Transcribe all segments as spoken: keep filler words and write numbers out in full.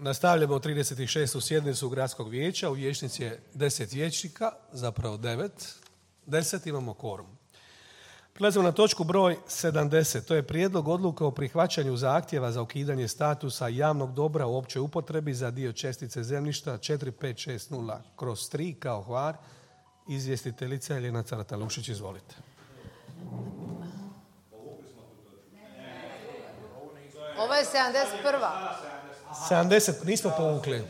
Nastavljamo trideset šestu sjednicu Gradskog vijeća. U vijećnici je deset vijećnika, zapravo devet. deset imamo kvorum. Prelazimo na točku broj sedamdeset. To je prijedlog odluke o prihvaćanju zahtjeva za ukidanje statusa javnog dobra u općoj upotrebi za dio čestice zemljišta četiri pet šest nula kroz tri kao Hvar. Izvjestiteljica Jelena Carata-Lušić, izvolite. Ovo je sedamdeset prva. sedamdeset nismo povukli.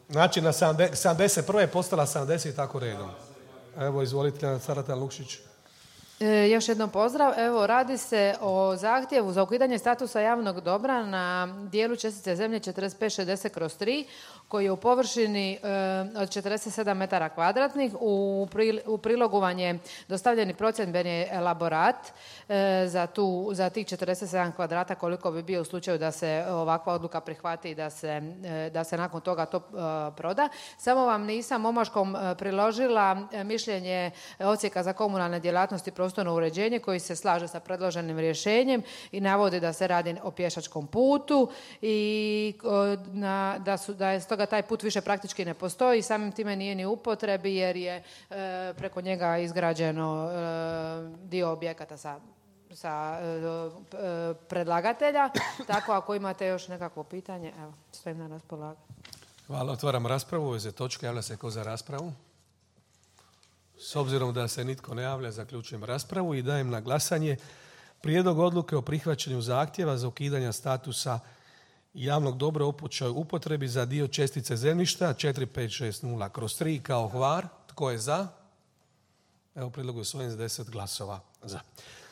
Znači na sedamdeset prva je postala sedamdeset i tako redom. Evo, izvolite, Jelena Carata-Lušić. E, još jednom pozdrav. Evo, radi se o zahtjevu za ukidanje statusa javnog dobra na dijelu čestice zemlje četrdeset pet šezdeset kroz tri, koji je u površini e, od četrdeset sedam metara kvadratnih. U, pri, u prilogu vam je dostavljeni procjendbeni elaborat e, za, tu, za tih četrdeset sedam kvadrata, koliko bi bio u slučaju da se ovakva odluka prihvati i da se, e, da se nakon toga to e, proda. Samo vam nisam omaškom e, priložila e, mišljenje Odsjeka za komunalne djelatnosti prostorno uređenje koji se slaže sa predloženim rješenjem i navodi da se radi o pješačkom putu i na, da, su, da je stoga taj put više praktički ne postoji i samim time nije ni u upotrebi jer je e, preko njega izgrađeno e, dio objekata sa, sa e, predlagatelja. Tako ako imate još nekakvo pitanje, evo, stojim na raspolaganju. Hvala, otvaram raspravu. U vezi točke javlja se ko za raspravu. S obzirom da se nitko ne javlja, zaključujem raspravu i dajem na glasanje prijedlog odluke o prihvaćanju zahtjeva za ukidanje statusa javnog dobra u općoj upotrebi za dio čestice zemljišta četiri pet šest nula kroz tri kao Hvar. Tko je za? Evo, prijedlog je usvojen s deset glasova za.